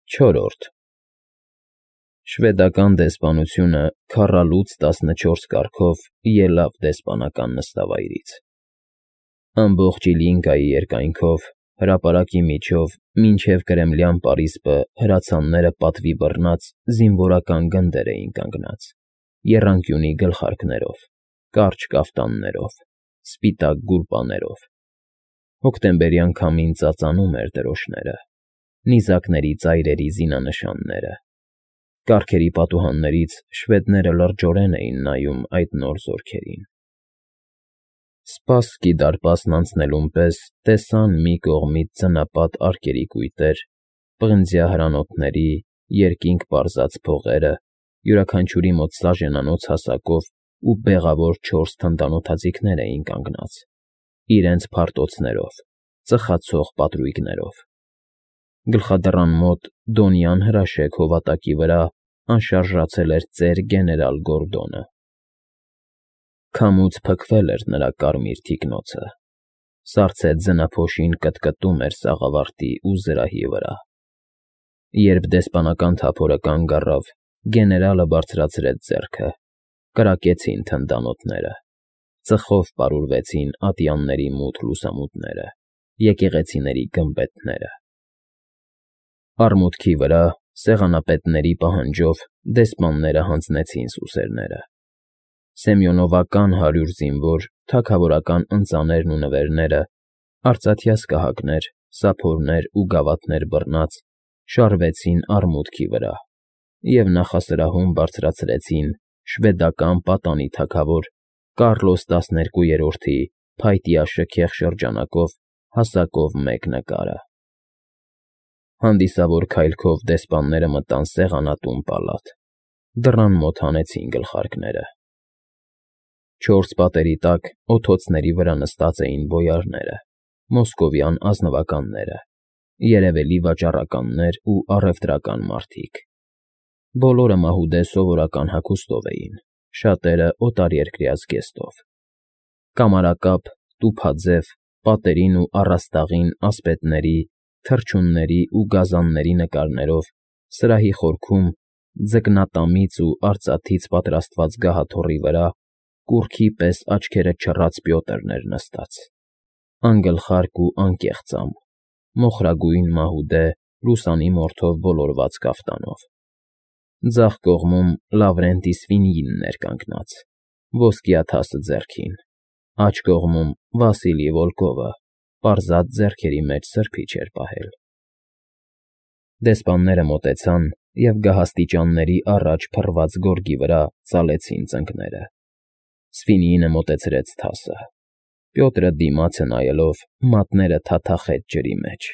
Չորրորդ Շվեդական դեսպանությունը քառալուց 14 կարգով ելավ դեսպանական նստավայրից։ Ամբողջ Իլինգայի երկայնքով, հրապարակի միջով, մինչև Կրեմլյան պարիսպը հրացանները պատվի բռնած զինվորական գնդեր էին կանգնած, եռանկյունի գլխարկներով, կարճ կաֆտաններով, սպիտակ գուլպաներով։ Հոկտեմբերյան քամին ծածանում էր դրոշները, նիզակների ծայրերի զինանշանները։ Կառքերի պատուհաններից շվեդները լրջորեն էին նայում այդ նոր զորքերին։ Սպասքի դարպասն անցնելուն պես տեսան մի կողմից ձնապատ արկերի կույտեր, պղնձյա հրանոթների, երկինք պարզած փողերը, յուրաքանչյուրի մոտ սաժենանոց հասակով ու բեղավոր 4 թնդանոթաձիգներ էին կանգնած, իրենց փարտոցներով, ծխացող պատրույգներով։ Գլխադռան մոտ դոնյան հրաշեկ հովատակի վրա անշարժացել էր ծեր գեներալ Գորդոնը։ Քամուց փքվել էր նրա կարմիր թիկնոցը, սառցե ձնափոշին կտկտում էր սաղավարտի ու զրահի վրա։ Երբ դեսպանական թափորը կանգ առավ, գեներալը բարձրացրեց ձեռքը, կրակեցին թնդանոթները, ծխով պարուրվեցին ատյանների մութ լուսամուտները, եկեղեցիների գմբեթները։ Արմուտքի վրա, սեղանապետների պահանջով, դեսպանները հանձնեցին սուսերները։ Սեմյոնովական 100 զինվոր, թագավորական ընծաներն ու նվերները, արծաթյա սկահակներ, սափորներ ու գավաթներ բռնած, շարվեցին արմուտքի վրա և նախասրահում բարձրացրեցին շվեդական պատանի թագավոր Կարլոս 12-րդի փայտյա շքեղ շրջանակով հասակով մեկ նկարը։ Հանդիսավոր քայլքով դեսպանները մտան սեղանատուն պալատ, դռան մոտ հանեցին գլխարկները։ 4 պատերի տակ օթոցների վրա նստած էին բոյարները, մոսկովյան ազնվականները, երևելի վաճառականներ ու առևտրական մարդիկ։ Բոլորը մահուդե սովորական հագուստով էին, շատերը օտարերկրյա զգեստով։ Կամարակապ, տուփաձև, պատերին ու առաստաղին ասպետների, թռչունների ու գազանների նկարներով, սրահի խորքում, ձկնատամից ու արծաթից պատրաստված գահաթոռի վրա, կուռքի պես աչքերը չռած Պյոտրն էր նստած, անգլխարկ ու անկեղծամ, մոխրագույն մահուդե, լուսանի մորթով ոլորված կաֆտանով։ Ձախ կողմում Լավրենտի Սվինյինն էր կանգնած, ոսկյա թասը ձեռքին, աջ կողմում Վասիլի Վոլկովը, պարզած ձեռքերի մեջ սրբիչ էր պահել։ Դեսպանները մոտեցան և գահաստիճանների առաջ փռված գորգի վրա ծալեցին ծնկները։ Սվինյինը մոտեցրեց թասը։ Պյոտրը դիմացը նայելով մատները թաթախեց ջրի մեջ։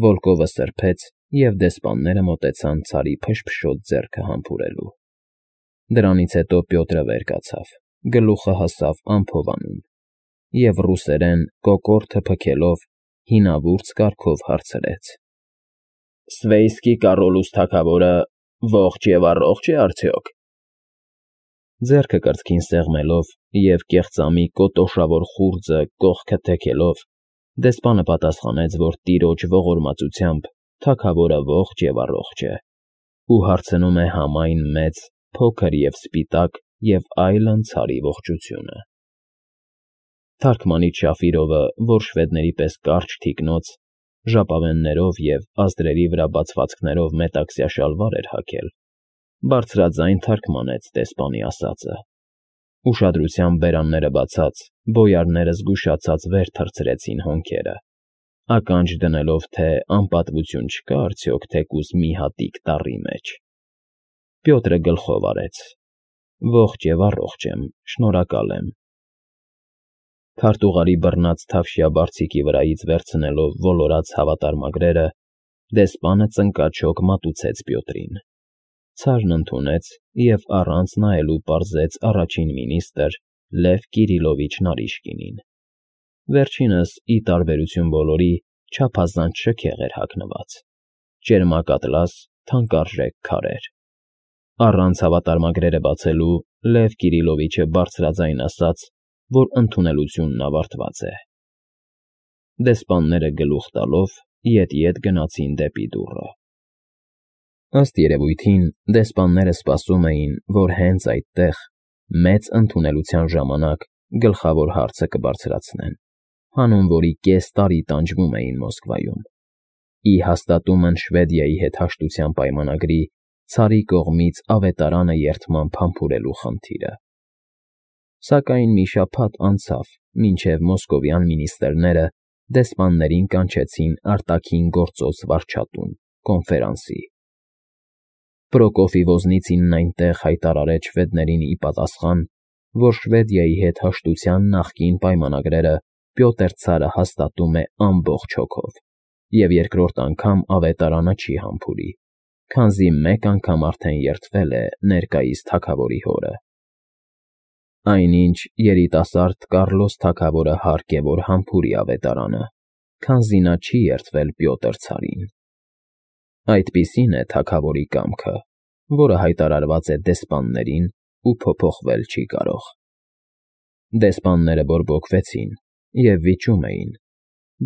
Վոլկովը սրբեց, և դեսպանները մոտեցան Ցարի փշփշոտ ձեռքը համբուրելու։ Դրանից հետո Պյոտրը վեր կացավ, գլուխը հասավ անփովանուն և ռուսերեն կոկորդը փքելով հինավուրց կարգով հարցրեց. «Սվեյսկի Կարոլուս թագավորը ողջ և առողջ է արդյոք»։ Ձեռքը կրծքին սեղմելով և կեղծամի կոտոշավոր խուրձը կողքը թեքելով, դեսպանը պատասխանեց, որ տիրոջ ողորմածությամբ թագավորը ողջ և առողջ է, ու հարցնում է համայն մեծ, փոքր և սպիտակ և այլն ցարի ողջությունը։ Թարգմանիչ Շաֆիրովը, որ շվեդների պես կարճ թիկնոց, ժապավեններով և ազդրերի վրա բացվածքներով մետաքսյա շալվար էր հագել, բարձրաձայն թարգմանեց դեսպանի ասածը։ Ուշադրությամբ բերանները բացած, բոյարները զգուշացած վեր թռցրեցին հոնքերը, ականջ դնելով, թե անպատվություն չկա արդյոք թեկուզ մի հատիկ տառի մեջ։ Պյոտրը գլխով արեց. «Ողջ և առողջ եմ, շնորհակալ եմ»։ Քարտուղարի բռնած թավշյա բարձիկի վրայից վերցնելով ոլորած հավատարմագրերը, դեսպանը ծնկաչոք մատուցեց Պյոտրին։ Ցարն ընդունեց և առանց նայելու պարզեց առաջին մինիստր Լև Կիրիլովիչ Նարիշկինին։ Վերջինս, ի տարբերություն բոլորի, չափազանց շքեղ էր հագնված, ճերմակատլաս, թանկարժեք քարեր։ Առանց հավատարմագրերը բացելու Լև Կիրիլովիչը բարձրաձայն ասաց, որ ընդունելությունն ավարտված է։ Դեսպանները գլուխ տալով ետ֊ետ գնացին դեպի դուռը։ Ըստ երևույթին, դեսպանները սպասում էին, որ հենց այդտեղ, մեծ ընդունելության ժամանակ, գլխավոր հարցը կբարձրացնեն, հանուն որի կես տարի տանջվում էին Մոսկվայում, ի հաստատումն Շվեդիայի հետ հաշտության պայմանագրի Ցարի կողմից ավետարանը երդմամբ համբուրելու խնդիրը։ Սակայն մի շաբաթ անցավ, մինչև մոսկովյան մինիստրները դեսպաններին կանչեցին արտաքին գործոս վարչատուն, կոնֆերանսի։ Պրոկոֆի Ոզնիցինն այնտեղ հայտարարեց շվեդներին ի պատասխան, որ Շվեդիայի հետ հաշտության նախկին պայմանագրերը Պյոտր ցարը հաստատում է ամբողջ հոգով, և երկրորդ անգամ ավետարանը չի համբուրի, քանզի մեկ անգամ արդեն երդվել է ներկայիս թագավորի հորը։ Այնինչ երիտասարդ Կառլոս թագավորը հարկ է, որ համբուրի ավետարանը, քանզի նա չի երդվել Պյոտր ցարին։ Այդպիսին է թագավորի կամքը, որը հայտարարված է դեսպաններին ու փոփոխվել չի կարող։ Դեսպանները բորբոքվեցին և վիճում էին,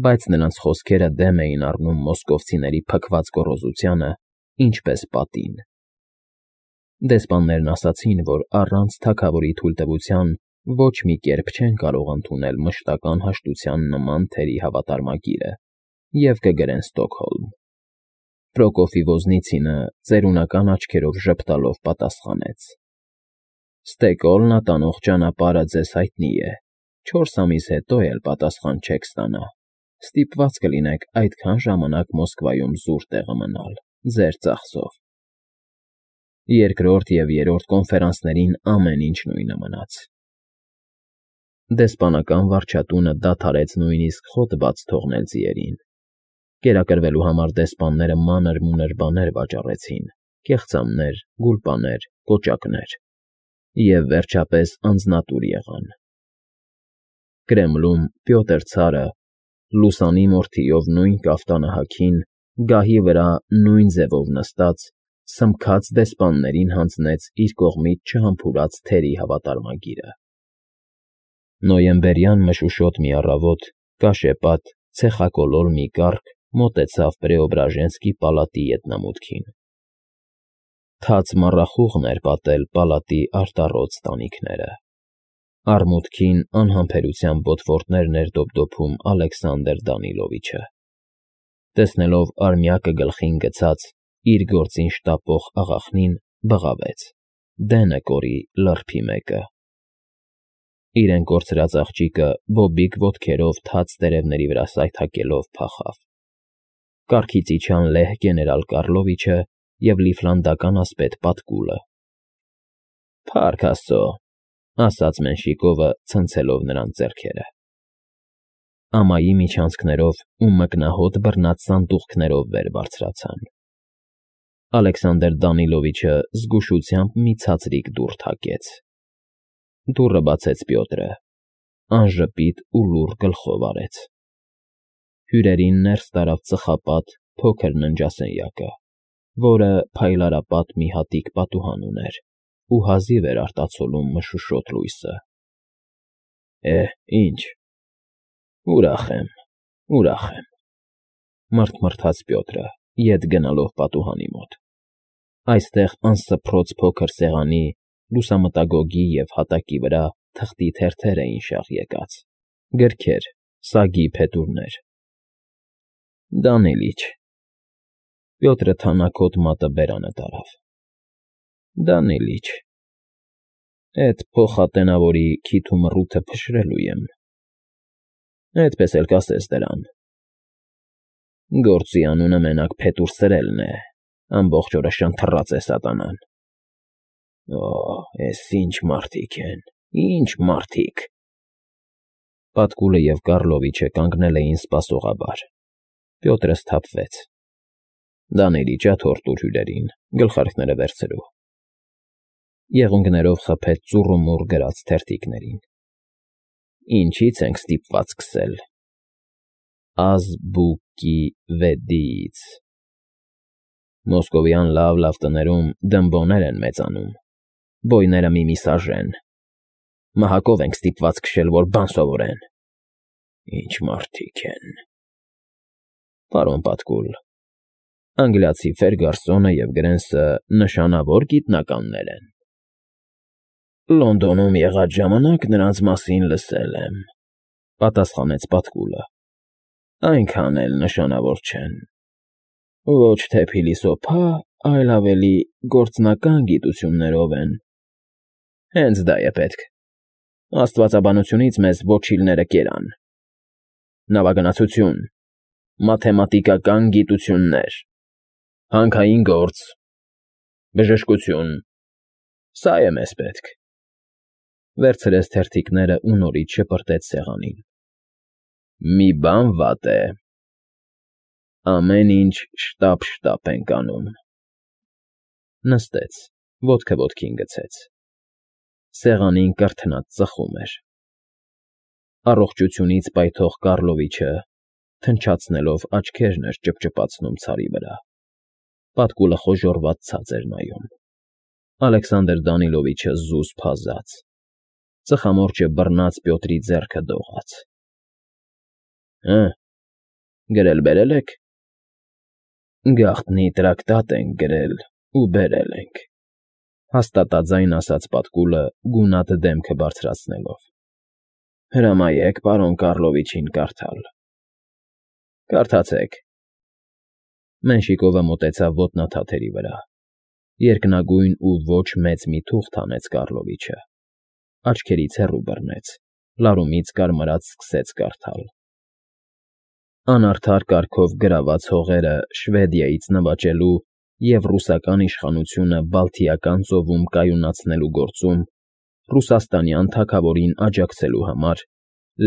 բայց նրանց խոսքերը դեմ էին առնում մոսկովցիների փքված գոռոզությանը, ինչպես պատին։ Դեսպաններն ասացին, որ առանց թագավորի թույլտվության ոչ մի կերպ չեն կարող ընդունել մշտական հաշտության նման թերի հավատարմագիրը և կգրեն Ստոկհոլմ։ Պրոկոֆի Ոզնիցինը ծերունական աչքերով ժպտալով պատասխանեց. Ստեկոլն ատանող ճանապարհը ձեզ հայտնի է, 4 ամիս հետո էլ պատասխան չեք ստանա, ստիպված կլինեք այդքան ժամանակ Մոսկվայում զուր տեղը մնալ, ձեր ծախսով։ Երկրորդ և երրորդ կոնֆերանսներին ամեն ինչ նույնը մնաց։ Դեսպանական վարչատունը դադարեց նույնիսկ խոտ բաց թողնել ձիերին։ Կերակրվելու համար դեսպանները մանր-մունր բաներ վաճառեցին, կեղծամներ, գուլպաներ, կոճակներ, և վերջապես անձնատուր եղան։ Կրեմլում Պյոտր ցարը, լուսանի մորթիով նույն կաֆտանը հագին, գահի վրա նույն ձևով նստած, սմբքած դեսպաններին հանձնեց իր կողմից չհամբուրած թերի հավատարմագիրը։ Նոյեմբերյան մշուշոտ մի առավոտ կաշեպատ, ցեխակոլոր մի կառք մոտեցավ Պրեոբրաժենսկի պալատի ետնամուտքին։ Թաց մառախուղն էր պատել պալատի արտառոց տանիքները։ Առմուտքին անհամբերությամբ ոտվորտներն էր դոփդոփում Ալեքսանդր Դանիլովիչը։ Տեսնելով արմյակը գլխին գցած, իր գործին շտապող աղախնին, բղավեց. դենը կորի լրփի մեկը։ Իրեն կորցրած աղջիկը բոբիկ ոտքերով թաց տերևների վրա սայթաքելով փախավ։ Կառքից իջան լեհ գեներալ Կառլովիչը և լիֆլանդական ասպետ Պատկուլը։ Փառք Աստծո, ասաց Մենշիկովը, ցնցելով նրանց ձեռքերը։ Ամայի միջանցքներով ու մկնահոտ բռնած սանդուղքներով վեր բարձրացան։ Ալեքսանդր Դանիլովիչը զգուշությամբ մի ցածրիկ դուռ թակեց։ Դուռը բացեց Պյոտրը, անժպիտ ու լուռ գլխով արեց։ Հյուրերին ներս տարավ ծխապատ, փոքր ննջասենյակը, որը փայլարապատ մի հատիկ պատուհան ուներ ու հազիվ էր արտացոլում մշուշոտ լույսը։ Ինչ, ուրախ եմ, մռթմռթաց Պյոտրը, ետ գնալով պատուհանի մոտ։ Այստեղ անսփռոց փոքր սեղանի, լուսամտագոգի և հատակի վրա թղթի թերթեր էին շաղ եկած, գրքեր, սագի փետուրներ։ Դանիլիչ։ Պյոտրը թանաքոտ մատը բերանը տարավ։ Դանիլիչ։ Էդ փոխատենավորի քիթ ու մռութը փշրելու եմ։ Այդպես էլ կասես դրան։ Գործի անունը մենակ փետուր սրելն է, ամբողջ օրը շնթռած է սատանան։ Էս ինչ մարդիկ են, ինչ մարդիկ։ Պատկուլը և Կառլովիչը կանգնել էին սպասողաբար։ Պյոտրը սթափվեց։ Դանիլիչ, աթոռ տուր հյուրերին, գլխարկները վերցրու։ Եղունգներով խփեց ծուռումուռ գրած թերթիկներին։ Ինչից ենք ստիպված սկսել։ Ազբուկի վեդից։ Մոսկովյան լավ տներում դմբոներ են մեծանում, բոյները մի սաժեն։ Մահակով ենք ստիպված քշել, որ բան սովորեն։ Ինչ մարդիկ են։ Պարոն Պատկուլ, Անգլիացի Ֆերգարսոնը և Գրենսը նշանավոր գիտնականներ են։ Լոնդոնում եղած ժամանակ նրանց մասին լսել եմ, պատասխանեց Պատկուլը։ Այնքան էլ նշանավոր չեն։ Ոչ թե փիլիսոփա, այլ ավելի գործնական գիտություններով են։ Հենց դա է պետք։ Աստվածաբանությունից մեզ ոչիլները կերան։ Նավագնացություն, մաթեմատիկական գիտություններ, հանքային գործ, բժշկություն, սա է մեզ պետք։ Վերցրեց թերթիկները ու նորից շպրտեց սեղանին։ Մի բան վատ է։ Ամեն ինչ շտապ ենք անում։ Նստեց, ոտքը ոտքին գցեց։ Սեղանին կրթնած ծխում էր։ Առողջությունից պայթող Կարլովիչը թնչացնելով աչքերն էր ճպճպացնում ցարի վրա։ Պատկուլը խոժոռված ցած էր նայում։ Ալեքսանդր Դանիլովիչը զուսպ-հազած, ծխամորճը բռնած Պյոտրի ձեռքը դողաց։ Գրել֊բերել եք։ Գաղտնի տրակտատ ենք գրել ու բերել ենք, հաստատաձայն ասաց Պատկուլը գունատ դեմքը բարձրացնելով։ Հրամայեք պարոն Կարլովիչին կարդալ։ Կարդացեք։ Մենշիկովը մոտեցավ ոտնաթաթերի վրա։ Երկնագույն ու ոչ մեծ մի թուղթ հանեց Կարլովիչը։ Աչքերից հեռու բռնեց, լարումից կարմրած սկսեց կարդալ։ Անարդար կարգով գրաված հողերը Շվեդիայից նվաճելու և ռուսական իշխանությունը Բալթիական ծովում կայունացնելու գործում ռուսաստանյան թագավորին աջակցելու համար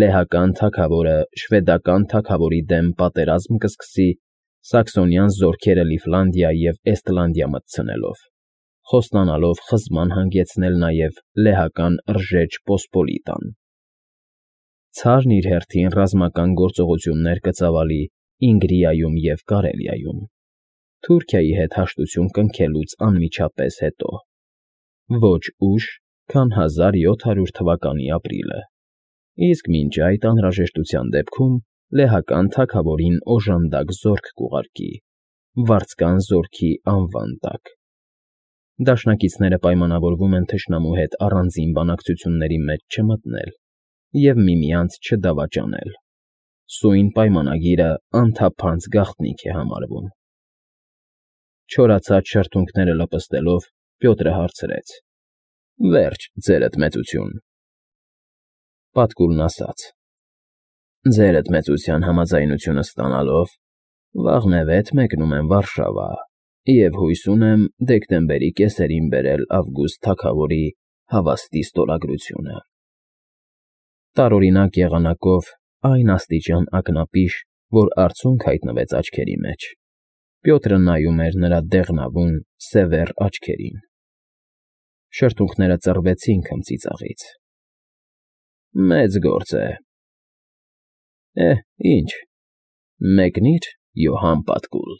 լեհական թագավորը շվեդական թագավորի դեմ պատերազմ կսկսի սաքսոնյան զորքերը Լիֆլանդիա և Էստլանդիա մտցնելով, խոստանալով խզման հանգեցնել նաև լեհական Ռժեջ Պոսպոլիտան։ Ցարն իր հերթին ռազմական գործողություններ կծավալի Ինգրիայում և Կարելիայում, Թուրքիայի հետ հաշտություն կնքելուց անմիջապես հետո, ոչ ուշ, քան 1700 թվականի ապրիլը, իսկ մինչ այդ անհրաժեշտության դեպքում լեհական թագավորին օժանդակ զորք կուղարկի, վարձկան զորքի անվան տակ։ Դաշնակիցները պայմանավորվում են թշնամու հետ առանձին բանակցությունների մեջ չմտնել և միմյանց չդավաճանել։ Սույն պայմանագիրը անթափանց գաղտնիք է համարվում։ Չորացած շրթունքները լպստելով Պյոտրը հարցրեց. Վերջ, ձերդ մեծություն։ Պատկուլն ասաց. Ձերդ մեծության համաձայնությունը ստանալով վաղնևեթ մեկնում եմ Վարշավա և հույս ունեմ դեկտեմբերի կեսերին բերել Ավգուստ թագավորի հավաստի ստորագրությունը։ Տարօրինակ եղանակով այն աստիճան ակնապիշ, որ արցունք հայտնվեց աչքերի մեջ, Պյոտրը նայում էր նրա դեղնավուն, սևեռ աչքերին։ Շրթունքները ծռվեցին քմծիծաղից։ Մեծ գործ է։ Ինչ, մեկնի՞ր, Յոհան Պատկուլ։